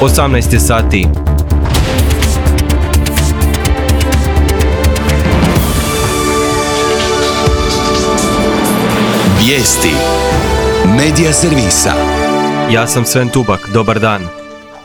18 sati. Vijesti Medija servisa. Ja sam Sven Tubak, dobar dan.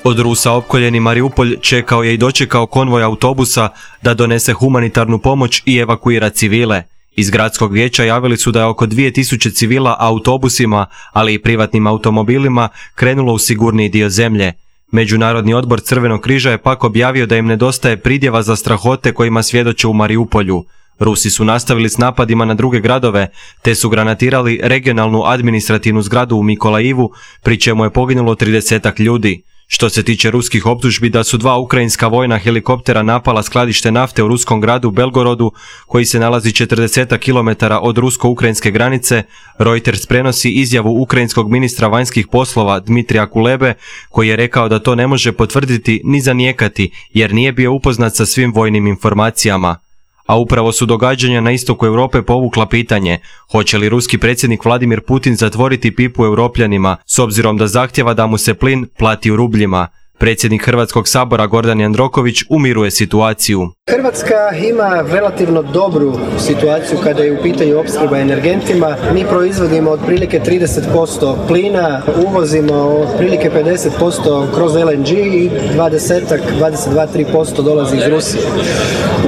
Od Rusa opkoljeni Mariupolj čekao je i dočekao konvoj autobusa da donese humanitarnu pomoć i evakuira civile. Iz gradskog vijeća javili su da je oko 2000 civila autobusima, ali i privatnim automobilima krenulo u sigurniji dio zemlje. Međunarodni odbor Crvenog križa je pak objavio da im nedostaje pridjeva za strahote kojima svjedoče u Mariupolju. Rusi su nastavili s napadima na druge gradove, te su granatirali regionalnu administrativnu zgradu u Mikolajivu, pri čemu je poginulo 30 ljudi. Što se tiče ruskih optužbi da su 2 ukrajinska vojna helikoptera napala skladište nafte u ruskom gradu Belgorodu, koji se nalazi 40 km od rusko-ukrajinske granice, Reuters prenosi izjavu ukrajinskog ministra vanjskih poslova Dmitrija Kulebe, koji je rekao da to ne može potvrditi ni zanijekati jer nije bio upoznat sa svim vojnim informacijama. A upravo su događanja na istoku Europe povukla pitanje hoće li ruski predsjednik Vladimir Putin zatvoriti pipu Europljanima s obzirom da zahtjeva da mu se plin plati u rubljima. Predsjednik Hrvatskog sabora Gordan Jandroković umiruje situaciju. Hrvatska ima relativno dobru situaciju kada je u pitanju opskrba energentima. Mi proizvodimo otprilike 30% plina, uvozimo otprilike 50% kroz LNG i 22-3% dolazi iz Rusije.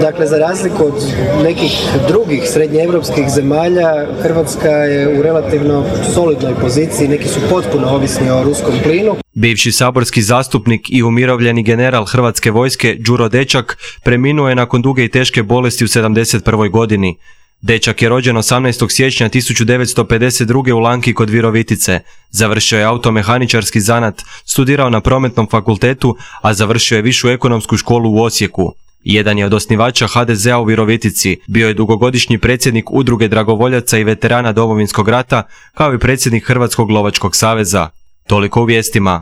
Dakle, za razliku od nekih drugih srednjeevropskih zemalja, Hrvatska je u relativno solidnoj poziciji, neki su potpuno ovisni o ruskom plinu. Bivši saborski zastupnik i umirovljeni general Hrvatske vojske Đuro Dečak preminuo je nakon duge i teške bolesti u 71. godini. Dečak je rođen 18. siječnja 1952. u Lanki kod Virovitice. Završio je automehaničarski zanat, studirao na Prometnom fakultetu, a završio je Višu ekonomsku školu u Osijeku. Jedan je od osnivača HDZ-a u Virovitici, bio je dugogodišnji predsjednik Udruge dragovoljaca i veterana Domovinskog rata, kao i predsjednik Hrvatskog lovačkog saveza. Toliko u vijestima.